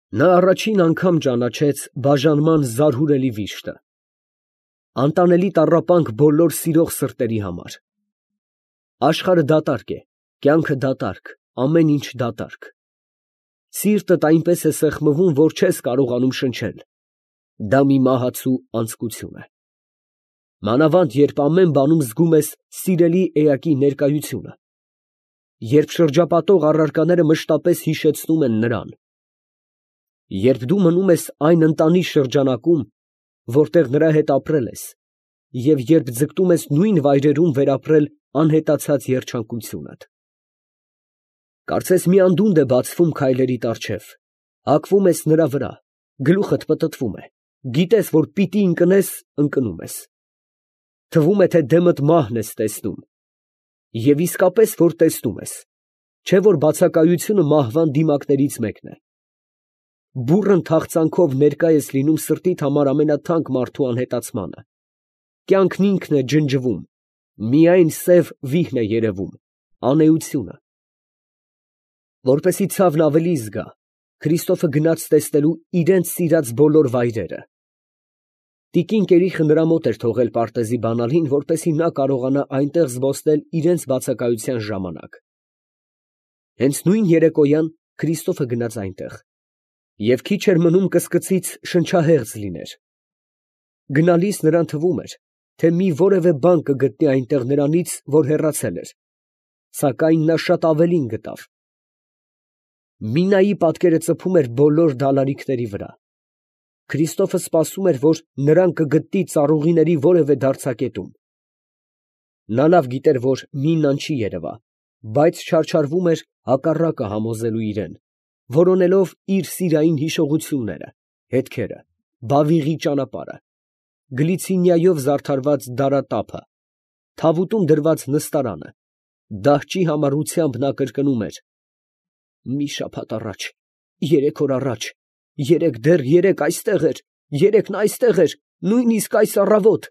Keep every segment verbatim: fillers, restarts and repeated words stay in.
Նա առաջին անգամ ճանաչեց բաժանման զարհուրելի վիշտը, անտանելի տառապանք բոլոր սիրող սրտերի համար։ Աշխարհը դատարկ է, կյանքը դատարկ, ամեն ինչ դատարկ։ Սիրտդ այնպես է սեղմվում, որ չես կարողանում շնչել, դա մի մահացու անձկություն է։ Մանավանդ երբ ամեն բանում զգում ես սիրելի էակի ներկայությունը, երբ շրջապատող առարկաները մշտապես հիշեցնում են նրան, երբ դու մնում ես այն ընտանի շրջանակում, որտեղ նրա հետ ապրել ես, և երբ ձգտում ես նույն վայրերում վերապրել անհետացած երջանկությունդ։ Կարծես մի անդունդ է բացվում քայլերիդ առջև, հակվում ես նրա վրա, գլուխդ պտտվում է, գիտես, որ պիտի ընկնես, ընկնում ես։ Թվում է, թե դեմդ մահն ես տեսնում, և իսկապես, որ տեսնում ես, չէ՞ որ բացակայությունը մահվան դիմակներից մեկն է։ Բուռն թախծանքով ներկա ես լինում սրտիդ համար ամենաթանկ մարդու անհետացմանը, կյանքն ինքն է ջնջվում, միայն սև վիհն է երևում, անէությունը։ Որպեսզի ցավն ավելի զգա, Քրիստոֆը գնաց տեսնելու իրենց սիրած բոլոր վայրերը։ Տիկին Կերիխը նրա մոտ էր թողել պարտեզի բանալին, որպեսզի նա կարողանա այնտեղ զբոսնել իրենց բացակայության ժամանակ։ Հենց նույն երեկոյան Քրիստոֆը գնաց այնտեղ, և քիչ էր մնում կսկծից շնչահեղձ լիներ։ Գնալիս նրան թվում էր, թե մի որևէ բան կգտնի այնտեղ նրանից, որ հեռացել էր, սակայն նա շատ ավելին գտավ։ Մինայի պատկերը ծփում էր բոլոր դալալիքների վրա։ Քրիստոֆը սպասում էր, որ նրան կգտնի ծառուղիների որևէ դարձակետում։ Նա լավ գիտեր, որ Մինան չի երևա, բայց չարչարվում էր հակառակը համոզելու իրան, որոնելով իր սիրային հիշողությունները, հետքերը, Բավիղի ճանապարհը, Գլիցինիայով զարդարված դարատափը, թավուտում դրված նստարանը, դահճի համառությամբ նա կրկնում էր. «Մի շաբաթ առաջ, երեք օր առաջ, երեկ դեռ երեկ այստեղ էր, երեկ նա այստեղ էր, նույնիսկ այս առավոտ»։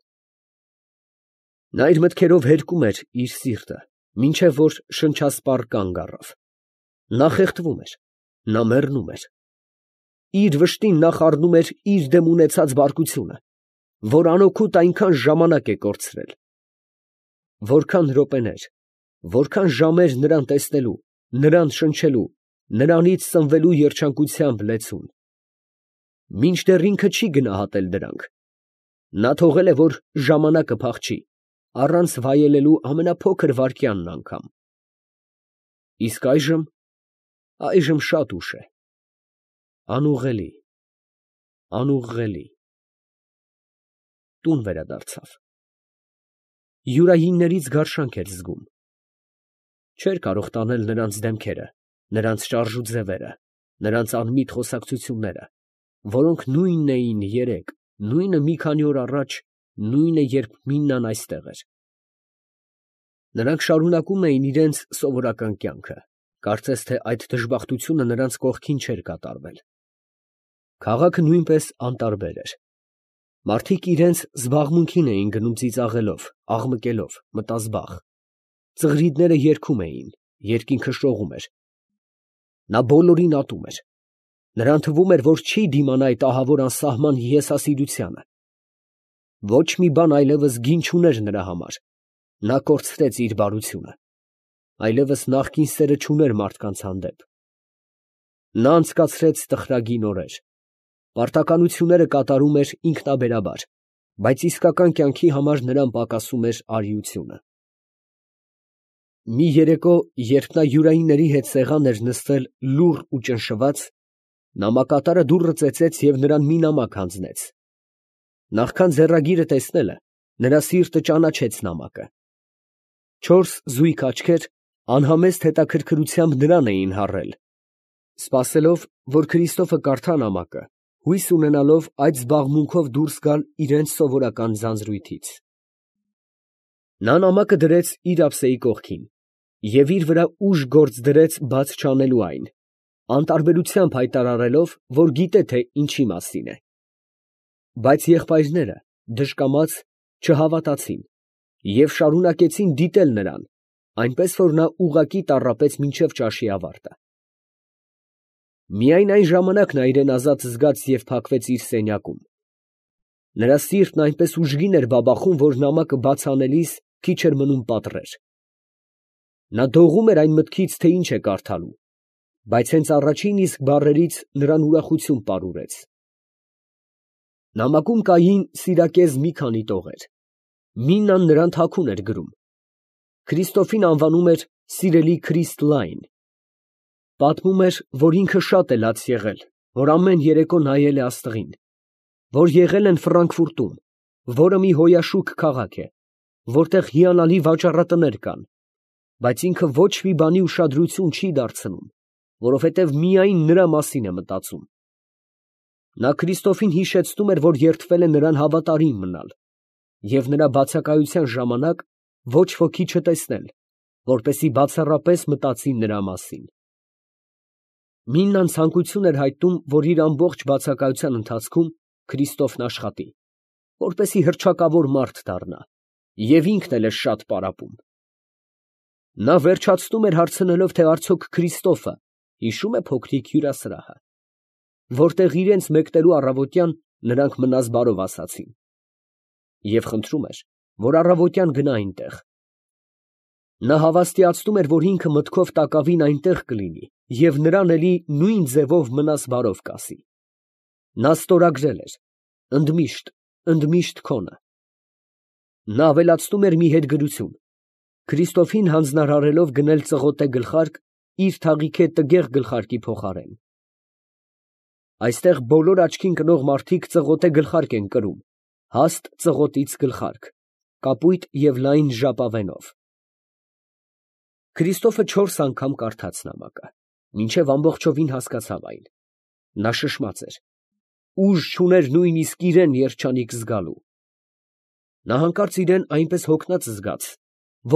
Նա իր մտքերով հերկում էր իր սիրտը, մինչև որ շնչասպառ կանգ առավ։ Նա խեղդվում էր, նա մեռնում էր։ Իր վշտին նա խառնում էր իր դեմ ունեցած բարկությունը, որ անօգուտ այնքան ժամանակ է կորցրել։ Որքան րոպեներ, որքան ժամեր նրան տեսնելու, նրան շնչելու, նրանից սնվելու երջանկությամբ լեցուն։ Մինչդեռ ինքը չի գնահատել դրանք։ Նա թողել է, որ ժամանակը փախչի, առանց վայելելու ամենափոքր վայրկյանն անգամ։ Իսկ այժմ, այժմ շատ ուշ է։ Անուղղելի, անուղղելի։ Տուն վերադարձավ։ Յուրայիններից գարշանք էր զգում։ Չէր կարող տանել նրանց դեմքերը, նրանց շարժ ու ձևերը, նրանց անմիտ խոսակցությունները, որոնք նույնն էին երեկ, նույնը մի քանի օր առաջ, նույնը երբ Մինան այստեղ էր։ Նրանք շարունակում էին իրենց սովորական կյանքը, կարծես թե այդ դժբախտությունը նրանց կողքին չէր կատարվել։ Քաղաքը նույնպես անտարբեր էր։ Մարդիկ իրենց զբաղմունքին էին գնում ծիծաղելով, աղմկելով, մտազբաղ։ Ծղրիդները երգում էին, երկինքը շողում էր։ Նա բոլորին ատում էր։ Նրան թվում էր, որ չի դիմանա այդ ահավոր անսահման հիասասիրությանը։ Ոչ մի բան այլևս գին չուներ նրա համար։ Նա կորցրեց իր բարությունը։ Այլևս նախկին սերը չուներ մարդկանց հանդեպ։ Նա անցկացրեց տխրագին օրեր։ Պարտականությունները կատարում էր ինքնաբերաբար, բայց իսկական կյանքի համար նրան պակասում էր արիությունը։ Մի երեկո, երբ նա յուրայինների հետ սեղան էր նստել լուռ ու ճնշված, նամակատարը դուռը ծեծեց և նրան մի նամակ հանձնեց։ Նախքան ձեռագիրը տեսնելը, նրա սիրտը ճանաչեց նամակը։ Չորս զույգ աչքեր անհամեստ հետաքրքրությամբ նրան էին հառել, սպասելով, որ Քրիստոֆը կարդա նամակը, հույս ունենալով այդ զբաղմունքով դուրս գալ իրենց սովորական ձանձրույթից։ Նա նամակը դրեց իր ափսեի կողքին և իր վրա ուժ գործ դրեց բաց չանելու այն, անտարբերությամբ հայտարարելով, որ գիտե, թե ինչի մասին է։ Բայց եղբայրները, դժկամաց, չհավատացին և շարունակեցին դիտել նրան, այնպես որ նա ուղղակի տառապեց մինչև ճաշի ավարտը։ Միայն այն ժամանակ նա իրեն ազատ զգաց և փակվեց իր սենյակում։ Նրա սիրտն այնպես ուժգին էր բաբախում, որ նամակը բաց անելիս քիչ էր մնում պատռեր։ Նա դողում էր այն մտքից, թե ինչ է կարդալու, բայց հենց առաջին իսկ բառերից նրան ուրախություն պարուրեց։ Նամակում կային սիրակեզ մի քանի տողեր։ Միննան նրան թաքուն էր գրում։ Քրիստոֆին անվանում էր սիրելի Քրիստ֊լայն։ Պատմում էր, որ ինքը շատ է լաց եղել, որ ամեն երեկո նայել է աստղին, որ եղել են Ֆրանկֆուրտում, որը մի հոյաշուք քաղաք է, որտեղ հիանալի վաճառատներ կան, բայց ինքը ոչ մի բանի ուշադրություն չի դարձնում, որովհետև միայն նրա մասին է մտածում։ Նա Քրիստոֆին հիշեցնում էր, որ երդվել է նրան հավատարիմ մնալ և նրա բացակայության ժամանակ ոչ ոքի չտեսնել, որպեսզի բացառապես մտածի նրա մասին։ Միննան ցանկություն էր հայտնում, որ իր ամբողջ բացակայության ընթացքում Քրիստոֆն աշխատի, որպեսզի հռչակավոր մարդ դառնա, և ինքն էլ է շատ պարապում։ Նա վերջացնում էր հարցնելով, թե արդյոք Քրիստոֆը հիշո՞ւմ է փոքրիկ հյուրասրահը, որտեղ իրենց մեկնելու առավոտյան նրանք մնաս բարով ասացին, և խնդրում էր, որ առավոտյան գնա այնտեղ։ Նա հավաստիացնում էր, որ ինքը մտքով տակավին այնտեղ կլինի և նրան էլի նույն ձևով մնաս բարով կասի։ Նա ստորագրել էր. ընդմիշտ, ընդմիշտ քոնը։ Նա ավելացնում էր մի հետգրություն. Քրիստոֆին հանձնարարելով գնել ծղոտե գլխարկ իր թաղիթե տգեղ գլխարկի փոխարեն։ Այստեղ բոլոր աչքին կնող մարդիկ ծղոտե գլխարկ են կրում, հաստ ծղոտից գլխարկ, կապույտ և լայն ժապավենով։ Քրիստոֆը չորս անգամ կարդաց նամակը, մինչև ամբողջովին հասկացավ այն։ Նա շշմած էր, ուժ չուներ նույնիսկ իրան երջանիկ զգալու։ Նա հանկարծ իրան այնպես հոգնած զգաց,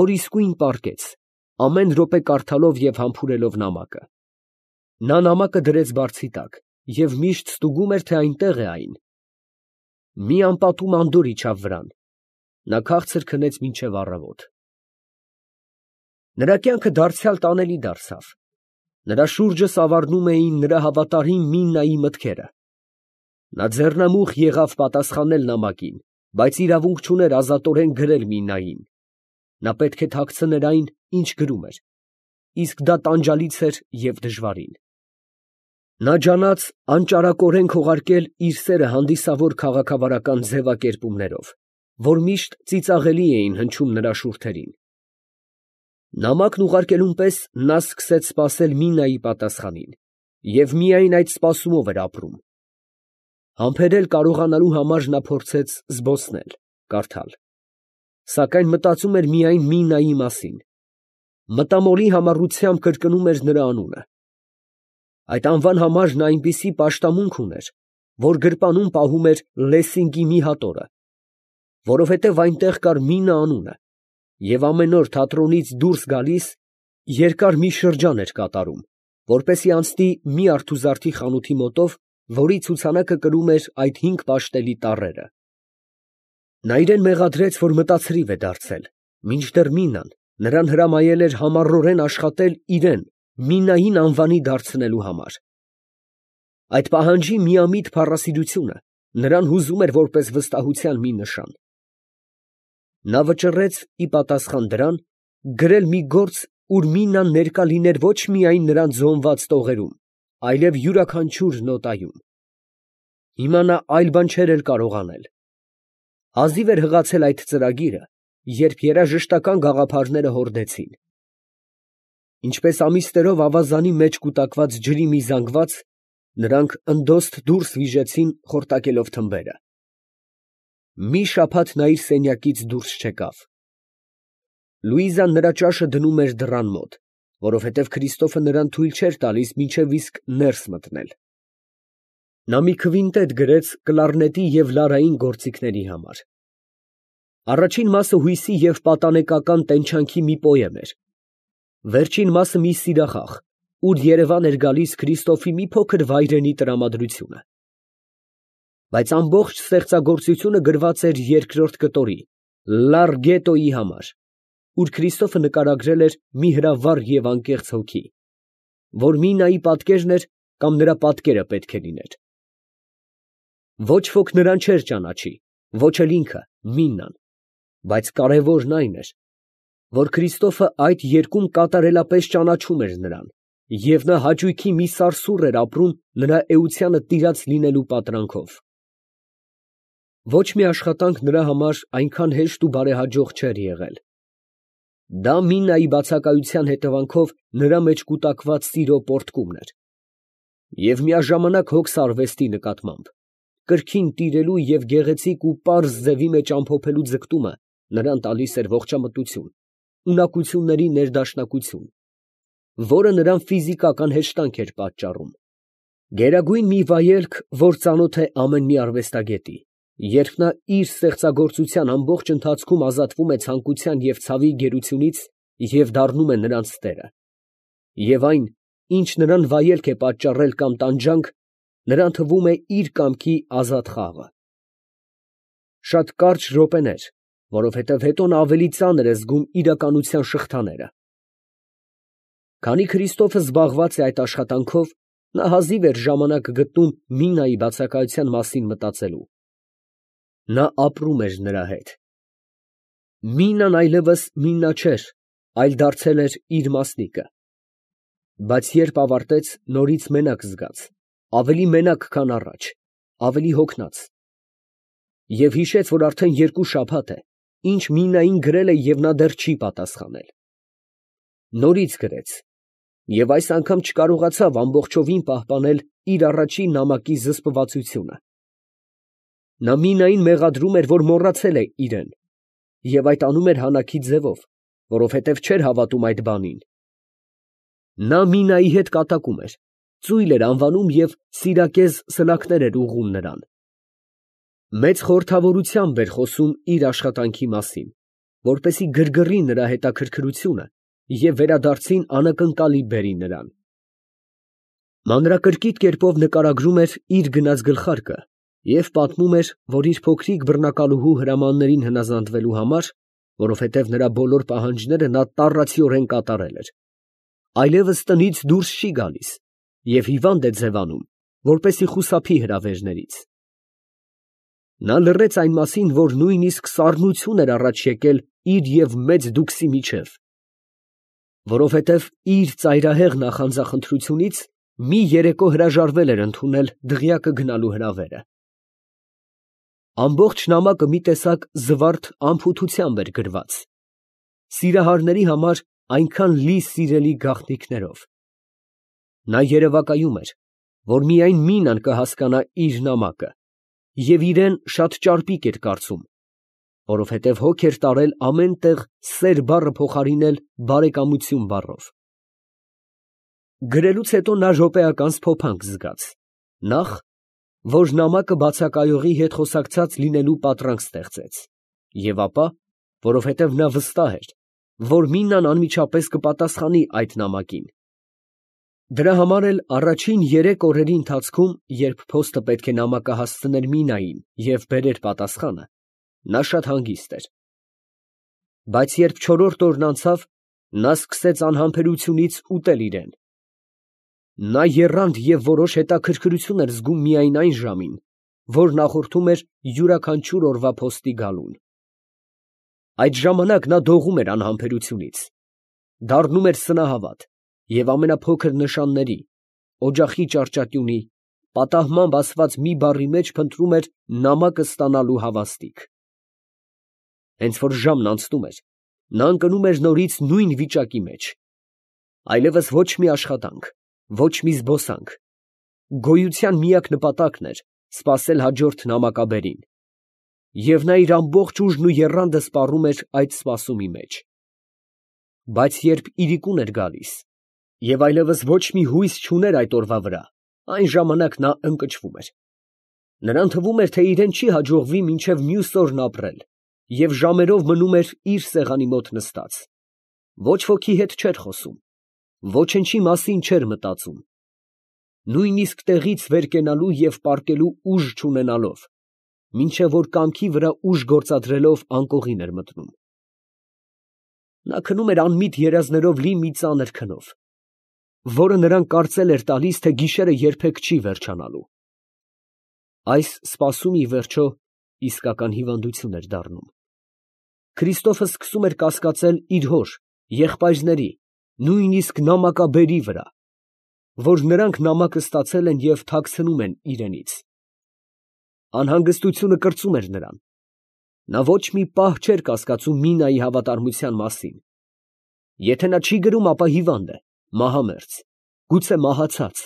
որ իսկույն պառկեց, ամեն րոպե կարդալով և համբուրելով նամակը։ Նա նամակը դրեց բարձի տակ և միշտ ստուգում էր, թե այնտեղ է այն։ Մի անպատում անդորր իջավ վրան։ Նա քաղցր քնեց մինչև առավոտ։ Նրա կյանքը դարձյալ տանելի դարձավ։ Նրա շուրջը սավառնում էին նրա հավատարիմ Միննայի մտքերը։ Նա ձեռնամուխ եղավ պատասխանել նամակին, բայց իրավունք չուներ ազատորեն գրել Միննային։ Նա պետք է թաքցներ այն, ինչ գրում էր, իսկ դա տանջալից էր և դժվարին։ Նա ջանաց անճարակորեն քողարկել իր սերը հանդիսավոր քաղաքավարական ձևակերպումներով, որ միշտ ծիծաղելի էին հնչում նրա շուրթերին։ Նամակն ուղարկելուն պես նա սկսեց սպասել Միննայի պատասխանին և միայն այդ սպասումով էր ապրում։ Համբերել կարողանալու համար նա փորձեց զբոսնել, կարդալ, սակայն մտածում էր միայն Միննայի մասին, մտամորի համառությամբ կրկնում էր նրա անունը։ Այդ անվան համար նա այնպիսի պաշտամունք ուներ, որ գրպանում պահում էր Լեսինգի մի հատորը, որովհետև այնտեղ կար Միննա անունը, և ամեն օր թատրոնից դուրս գալիս երկար մի շրջան էր կատարում, որպեսզի անցնի մի արթուզարդի խանութի մոտով, որի ցուցանակը կրում էր այդ հինգ պաշտելի տառերը։ Նա իրան մեղադրեց, որ մտածրիվ է դարձել, մինչդեռ Միննան նրան հրամայել էր համառորեն աշխատել իրան Միննային անվանի դարձնելու համար։ Այդ պահանջի միամիտ փառասիրությունը նրան հուզում էր որպես վստահության մի նշան։ Նա վճռեց ի պատասխան դրան գրել մի գործ, ուր Միննան ներկա լիներ ոչ միայն նրան ձոնված տողերում, այլև յուրաքանչյուր նոտայում։ Հիմա նա այլ բան չէր էլ կարող անել։ Հազիվ էր հղացել այդ ծրագիրը, երբ երաժշտական գաղափարները հորդեցին։ Ինչպես ամիսներով ավազանի մեջ կուտակված ջրի մի զանգված, նրանք ընդոստ դուրս վիժեցին խորտակելով թմբերը։ Մի շաբաթ նա իր սենյակից դուրս չեկավ։ Լուիզան նրա ճաշը դնում էր դռան մոտ, որովհետև Քրիստոֆը նրան թույլ չէր տալիս մինչև իսկ ներս մտնել։ Նա մի քվինտետ գրեց կլարնետի և լարային գործիքների համար։ Առաջին մասը հույսի և պատանեկական տենչանքի մի պոեմ էր։ Վերջին մասը մի սիրախաղ, ուր երևան էր գալիս Քրիստոֆի մի փոքր վայրենի տրամադրությունը։ Բայց ամբողջ ստեղծագործությունը գրված էր երկրորդ կտորի՝ Լարգետոյի համար, ուր Քրիստոֆը նկարագրել էր մի հրավառ և անկեղծ հոգի, որ Միննայի պատկերն էր կամ նրա պատկերը պետք է լիներ։ Ոչ ոք նրան չէր ճանաչի, ոչ էլ ինքը, Միննան, բայց կարևորն այն էր, որ Քրիստոֆը այդ երկում կատարելապես ճանաչում էր նրան, և նա հաճույքի մի սարսուռ էր ապրում նրա էությանը տիրած լինելու պատրանքով։ Ոչ մի աշխատանք նրա համար այնքան հեշտ ու բարեհաջող չէր եղել։ Դա Միննայի բացակայության հետևանքով նրա մեջ կուտակված սիրո պոռթկումն էր, և միաժամանակ հոգս արվեստի նկատմամբ, կրքին տիրելու և գեղեցիկ ու պարզ ձևի մեջ ամփոփելու ձգտումը նրան տալիս էր ողջամտություն, ունակությունների ներդաշնակություն, որը նրան ֆիզիկական հեշտանք էր պատճառում, գերագույն մի վայելք, որ ծանոթ է ամեն մի արվեստագետի, երբ նա իր ստեղծագործության ամբողջ ընթացքում ազատվում է ցանկության և ցավի գերությունից և դառնում է նրանց տերը, և այն, ինչ նրան վայելք է պատճառել կամ տանջանք, նրան թվում է իր կամքի ազատ խաղը։ Շատ կարճ րոպեներ, որովհետև հետո նա ավելի ծանր է զգում իրականության շղթաները։ Քանի Քրիստոֆը զբաղված է այդ աշխատանքով, նա հազիվ էր ժամանակ գտնում Միննայի բացակայության մասին մտածելու։ Նա ապրում էր նրա հետ։ Միննան այլևս Միննա չէր, այլ դարձել էր իր մասնիկը։ Բայց երբ ավարտեց, նորից մենակ զգաց, ավելի մենակ, քան առաջ, ավելի հոգնած, և հիշեց, որ արդեն երկու շաբաթ է, ինչ Միննային գրել է և նա դեռ չի պատասխանել։ Նորից գրեց, և այս անգամ չկարողացավ ամբողջովին պահպանել իր առաջին նամակի զսպվածությունը։ Նա Միննային մեղադրում էր, որ մոռացել է իրեն, և այդ անում էր հանակի ձևով, որովհետև չէր հավատում այդ բանին։ Նա Միննայի հետ կատակում էր, ծույլ էր անվանում և սիրակեզ սլաքներ էր ուղղում նրան։ Մեծ խորհրդավորությամբ էր խոսում իր աշխատանքի մասին, որպեսզի գրգռի նրա հետաքրքրությունը և վերադարձին անակնկալի բերի նրան։ Մանրակրկիտ կերպով նկարագրում էր իր գնած գլխարկը և պատմում էր, որ իր փոքրիկ բռնակալուհու հրամաններին հնազանդվելու համար, որովհետև նրա բոլոր պահանջները նա տառացիորեն կատարել էր, այլևս տնից դուրս չի գալիս և հիվանդ է ձևանում, որպեսզի խուսափի հրավերներից։ Նա լռեց այն մասին, որ նույնիսկ սառնություն էր առաջ եկել իր և մեծ դուքսի միջև, որովհետև իր ծայրահեղ նախանձախնդրությունից մի երեկո հրաժարվել էր ընդունել դղյակը գնալու հրավերը։ Ամբողջ նամակը մի տեսակ զվարթ անփութությամբ էր գրված, սիրահարների համար այնքան լի սիրելի գաղտնիքներով։ Նա երևակայում էր, որ միայն Միննան կհասկանա իր նամակը, և իրեն շատ ճարպիկ էր կարծում, որովհետև հոգ էր տարել ամեն տեղ սեր բառը փոխարինել բարեկամություն բառով։ Գրելուց հետո նա րոպեական սփոփանք զգաց. նախ, որ նամակը բացակայողի հետ խոսակցած լինելու պատրանք ստեղծեց, և ապա, որովհետև նա վստահ էր, որ Միննան անմիջապես կպատասխանի այդ նամակին։ Դրա համար էլ առաջին երեք օրերի ընթացքում, երբ փոստը պետք է նամակը հասցներ Միննային և բերեր պատասխանը, նա շատ հանգիստ էր։ Բայց երբ չորրորդ օրն անցավ, նա սկսեց անհամբերությունից ուտել իրեն։ Նա եռանդ և որոշ հետաքրքրություն էր զգում միայն այն ժամին, որ նախորդում էր յուրաքանչյուր օրվա փոստի գալուն։ Այդ ժամանակ նա դողում էր անհամբերությունից, դառնում էր սնահավատ և ամենափոքր նշանների, օջախի ճառճատյունի, պատահմամբ ասված մի բառի մեջ փնտրում էր նամակը ստանալու հավաստիք։ Հենց որ ժամն անցնում էր, նա ընկնում էր նորից նույն վիճակի մեջ։ Այլևս ոչ մի աշխատանք, ոչ մի զբոսանք, գոյության միակ նպատակն էր սպասել հաջորդ նամակաբերին, և նա իր ամբողջ ուժն ու եռանդը սպառում էր այդ սպասումի մեջ։ Բայց երբ իրիկուն էր գալիս, և այլևս ոչ մի հույս չուներ այդ օրվա վրա, այն ժամանակ նա ընկճվում էր։ Նրան թվում էր, թե իրան չի հաջողվի մինչև մյուս օրն ապրել, և ժամերով մնում էր իր սեղանի մոտ նստած, ոչ ոքի հետ չէր խոսում, ոչնչի մասին չէր մտածում, նույնիսկ տեղից վեր կենալու և պառկելու ուժ չունենալով, մինչև որ կամքի վրա ուժ գործադրելով անկողին էր մտնում։ Նա քնում էր անմիտ երազներով լի մի ծանր քնով, որը նրան կարծել էր տալիս, թե գիշերը երբեք չի վերջանալու։ Այս սպասումն ի վերջո իսկական հիվանդություն էր դառնում։ Քրիստոֆը սկսում էր կասկածել իր հոր, եղբայրների, նույնիսկ նամակաբերի վրա, որ նրանք նամակը ստացել են և թաքցնում են իրենից։ Անհանգստությունը կրծում էր նրան։ Նա ոչ մի պահ չէր կասկածում Մինայի հավատարմության մասին։ Եթե նա չի գրում, ապա հիվանդ է, մահամերձ, գուցե մահացած։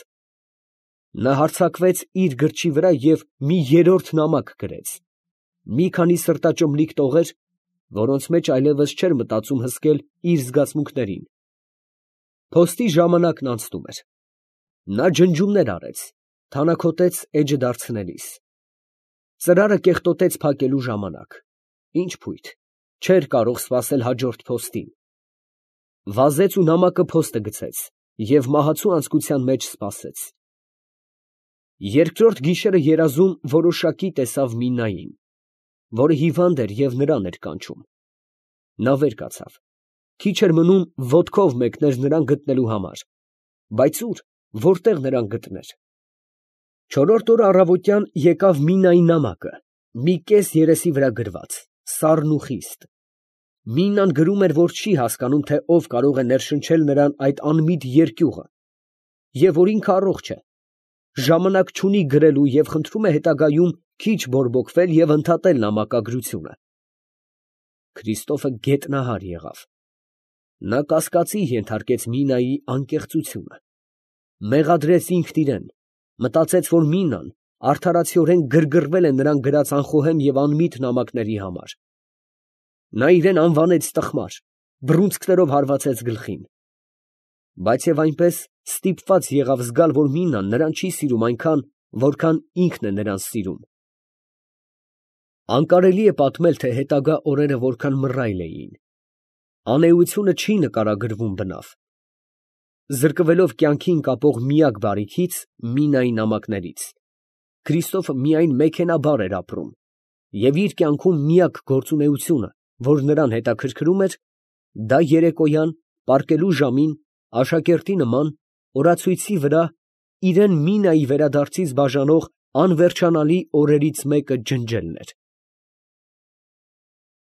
Նա հարձակվեց իր գրչի վրա և մի երրորդ նամակ գրեց, մի քանի սրտաճմլիկ տողեր, որոնց մեջ այլևս չէր մտածում հսկել իր զգացմունքներին։ Փոստի ժամանակն անցնում էր։ Նա ջնջումներ արեց, թանաքոտեց էջը դարձնելիս։ Ծրարը կեղտոտեց փակելու ժամանակ։ Ինչ փույթ, չէր կարող սպասել հաջորդ փոստին։ Վազեց ու նամակը փոստը գցեց և մահացու անձկության մեջ սպասեց։ Երկրորդ գիշերը երազում որոշակի տեսավ Մինային, որը հիվանդ էր և նրան էր կանչում։ Նա վեր կացավ, քիչ էր մնում ոտքով մեկներ նրան գտնելու համար, բայց ուր, որտեղ նրան գտներ։ Չորրորդ օրը առավոտյան եկավ Մինայի նամակը, մի կես երեսի վրա գրված, սառն ու խիստ։ Մինան գրում էր, որ չի հասկանում, թե ով կարող է ներշնչել նրան այդ անմիտ երկյուղը, և որ ինքը առողջ է, ժամանակ չունի գրելու և խնդրում է հետագայում քիչ բորբոքվել և ընդհատել նամակագրությունը։ Քրիստոֆը գետնահար եղավ։ Նա կասկածի ենթարկեց Մինայի անկեղծությունը։ Մեղադրեց ինքն իրան, մտածեց, որ Մինան արդարացիորեն գրգռվել է նրան գրած անխոհեմ և անմիտ նամակների համար։ Նա իրան անվանեց տխմար, բռունցքներով հարվածեց գլխին։ Բայց և այնպես ստիպված եղավ զգալ, որ Մինան նրան չի սիրում այնքան, որքան ինքն է նրան սիրում։ Անկարելի է պատմել, թե հետագա օրերը որքան մռայլ էին։ Անէությունը չի նկարագրվում բնավ։ Զրկվելով կյանքին կապող միակ բարիքից՝ Մինայի նամակներից, Քրիստոֆը միայն մեքենաբար էր ապրում, և իր կյանքում միակ գործունեությունը, որ նրան հետաքրքրում էր, դա երեկոյան, պառկելու ժամին, աշակերտի նման, օրացույցի վրա իրան Մինայի վերադարձից բաժանող անվերջանալի օրերից մեկը ջնջելն էր։